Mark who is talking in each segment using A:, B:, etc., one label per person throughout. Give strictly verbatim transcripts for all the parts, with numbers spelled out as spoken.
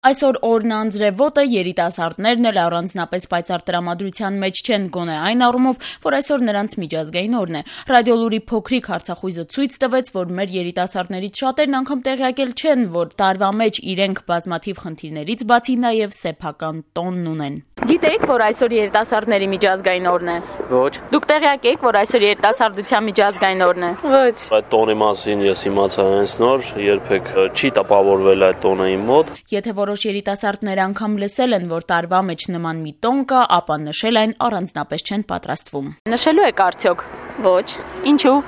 A: Այսօր օրն անձրևոտ է, երիտասարդներն էլ առանձնապես պայծառ տրամադրության մեջ չեն, գոնե այն առումով, որ այսօր նրանց միջազգային օրն է։ Ռադիոլուրի փոքրիկ հարցախույզը ցույց տվեց, որ մեր երիտասարդներից շատերն անգամ տեղյակել չեն, որ տարվա մեջ իրենք բազմաթիվ խնդիրներից բացի նաև սեփական տոնն ունեն։ Գիտեիք, որ այսօր երիտասարդների միջազգային օրն է։
B: Ոչ։
A: Դուք տեղյակ եք, որ այսօր երիտասարդության միջազգային օրն է։
B: Ոչ։
C: Այդ տոնի մասին ես իմացա հենց նոր, երբեք չի տպավորվել այդ տոնը իմ մոտ։
A: Եթե որոշ երիտասարդներ անգամ լսել են, որ տարվա մեջ նման մի տոն կա, ապա նշել այն առանձնապես չեն պատրաստվում։ Նշելու եք արդյոք։
D: Ոչ։
A: Ինչու։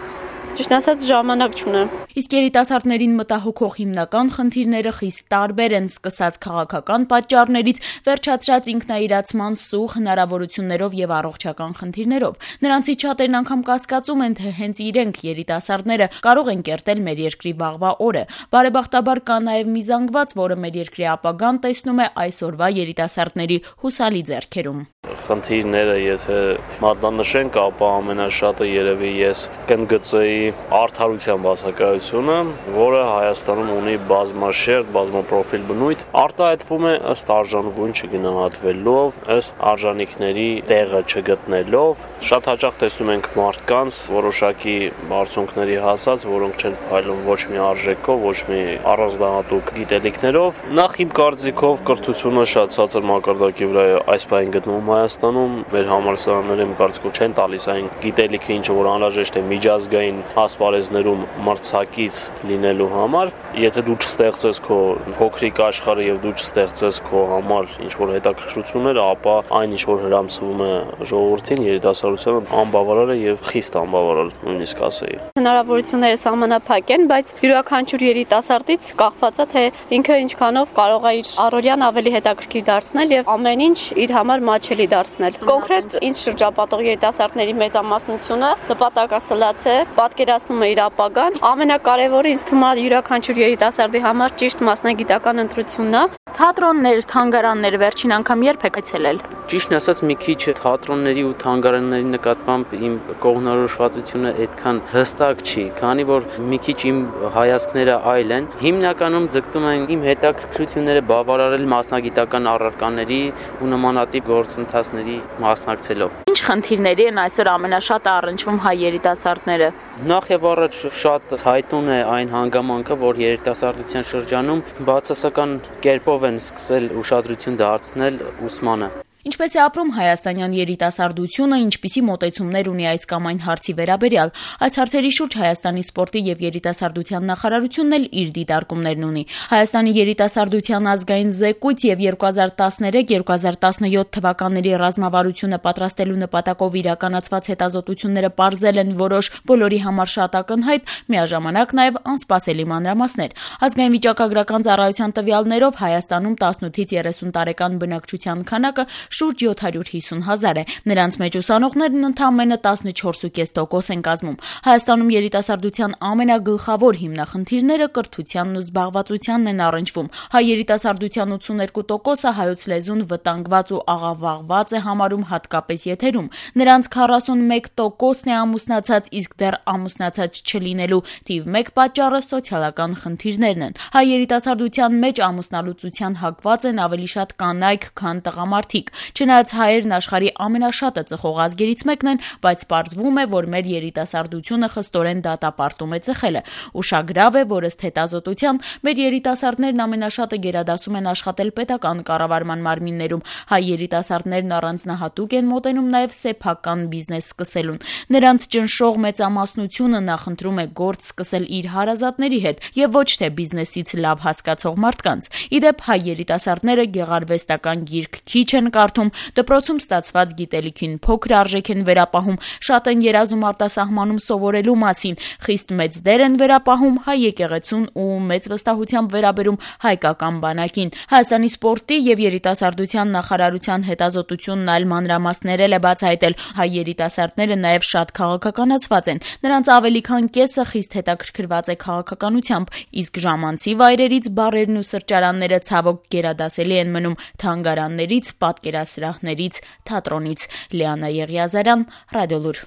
D: Ճիշտ ասած ժամանակ չունեմ։
A: Իսկ երիտասարդներին մտահոգող հիմնական խնդիրները խիստ տարբեր են, սկսած քաղաքական պատճառներից, վերջացրած ինքնաիրացման սուղ հնարավորություններով եւ առողջական խնդիրներով։ Նրանցից շատերն անգամ կասկածում են, թե հենց իրենք երիտասարդները կարող են կերտել մեր երկրի վաղվա օրը։ Բարեբախտաբար կա նաեւ մի զանգված, որը մեր երկրի ապագան տեսնում է այսօրվա երիտասարդների հուսալի ձեռքերում։
C: Խնդիրները, եթե մատնանշենք, ապա ամենաշատը երևի ես կընդգծեի արդարության բացակայությունը, որը Հայաստանում ունի բազմաշերտ, բազմապրոֆիլ բնույթ, արտահայտվում է ըստ արժանվուն չգնահատվելով, ըստ արժանիքների տեղը չգտնելով։ Շատ հաճախ տեսնում ենք մարդկանց որոշակի բարձունքների հասած, որոնք չեն փայլում ոչ մի արժեքով, ոչ մի առանձնահատուկ գիտելիքներով։ Նախ իմ կարծիքով կրթությունը շատ ցածր մակարդակի վրա է այս պահին գտնվում Հայաստանում, մեր համալսարանները իմ կարծիքով չեն տալիս այն գիտելիքը, ինչը որ անհրաժեշտ է միջազգային ասպարեզներում մրցակից լինելու համար։ Եթե դու չստեղծես քո փոքրիկ աշխարհը եւ դու չստեղծես քո համար ինչ որ հետաքրքրություններ, ապա այն ինչ որ հրամցվում է ժողովրդին, երիտասարդությանը, անբավարար է եւ խիստ անբավարար, նույնիսկ ասեի։
D: Հնարավորությունները սահմանափակ են, բայց յուրաքանչյուր երիտասարդից կախված է, թե ինքը ինչքանով կարող է իր առօրյան ավելի հետաքրքիր դարձնել եւ ամեն ինչ իր համար մաչելի դարձնել։ Կոնկրետ ինձ շրջապատող երիտասարդների մեծամասնությունը նպատակասլաց է, պատկերացնում է իր ապագան։ Ամենակարևորը ինձ թվում է յուրաքանչյուր երիտասարդի համար ճիշտ մասնագիտական ընտրությունն է։
A: Թատրոններ, թանգարաններ վերջին անգամ երբ եք այցելել։
B: Ճիշտն ասած, մի քիչ թատրոնների ու թանգարանների նկատմամբ իմ կողմնորոշվածությունը այդքան հստակ չի, քանի որ մի քիչ իմ հայացքները այլ են։ Հիմնականում ձգտում են իմ հետաքրքրությունները բավարարել մասնագիտական առարկաների ու նմանատիպ գործընթացների մասնակցելով։
A: Ինչ խնդիրների են այսօր ամենաշատը առնչվում հայ երիտասարդները։
B: Նախ եւ առաջ շատ հայտուն է այն հանգամանքը, որ երիտասարդության շրջանում բացասական կերպով են սկսել ուշադրություն դարձնել ուսմանը։
A: Ինչպես է ապրում հայաստանյան երիտասարդությունը, ինչպիսի մոտեցումներ ունի այս կամ այն հարցի վերաբերյալ։ Այս հարցերի շուրջ Հայաստանի սպորտի եւ երիտասարդության նախարարությունն էլ իր դիտարկումներն ունի։ Հայաստանի երիտասարդության ազգային զեկույց եւ երկու հազար տասներեք երկու հազար տասնյոթ թվականների ռազմավարությունը պատրաստելու նպատակով իրականացված հետազոտությունները պարզել են որոշ բոլորի համար շատ ակնհայտ, միաժամանակ նաեւ անսպասելի մանրամասներ։ Ազգային վիճակագրական ծառայության տվյալներով Հայաստանում տասնութից երեսուն տարեկան բնակչության քանակը շուրջ յոթ հարյուր հիսուն հազար է։ Նրանց մեջ ուսանողներն ընդամենը տասնչորս կόμμα պենս տոկոս են կազմում։ Հայաստանում երիտասարդության ամենագլխավոր հիմնախնդիրները կրթությանն ու զբաղվածությանն են առնչվում։ Հայ երիտասարդության ութսուներկու տոկոսը հայոց լեզուն վտանգված ու աղավաղված է համարում հատկապես եթերում։ Նրանց քառասունմեկ տոկոսն է ամուսնացած, իսկ դեռ ամուսնացած չլինելու թիվ մեկ պատճառը սոցիալական խնդիրներն են։ Հայ երիտասարդության մեջ ամուսնալուծության հակված են ավելի շատ կանայք, քան տղամարդիկ։ Չնայած հայերն աշխարհի ամենաշատը ծխող ազգերից մեկն են, բայց պարզվում է, որ մեր երիտասարդությունը խստորեն դատապարտում է ծխելը։ Ուշագրավ է, որ ըստ հետազոտության մեր երիտասարդներն ամենաշատը գերադասում են աշխատել պետական կառավարման մարմիններում։ Հայ երիտասարդներն առանձնահատուկ են մոտենում նաև սեփական բիզնես սկսելուն։ Նրանց ճնշող մեծամասնությունը նախընտրում է գործ սկսել իր հարազատների հետ եւ ոչ թե բիզնեսից լավ հասկացող մարդկանց։ Իդեպ հայ երիտասարդները գեղարվեստական գիրք քիչ են կարդում, դպրոցում ստացված գիտելիքին փոքր արժեք են վերապահում, շատ են երազում արտասահմանում սովորելու մասին, խիստ մեծ դեր են վերապահում հայ եկեղեցուն ու մեծ վստահությամբ վերաբերում հայկական բանակին։ Հայաստանի սպորտի եւ երիտասարդության նախարարության հետազոտությունն այլ մանրամասներ է բացահայտել։ Հայ երիտասարդները նաեւ շատ քաղաքականացված են։ Նրանց ավելի քան կեսը խիստ հետաքրքրված է քաղաքականությամբ, իսկ ժամանցի վայրերից բարերն ու սրճարանները ցավոք գերադասելի են մնում թանգարաններից, պատկերասրահներից, թատրոնից։ Լիանա Եղիազարյան, Ռադիոլուր։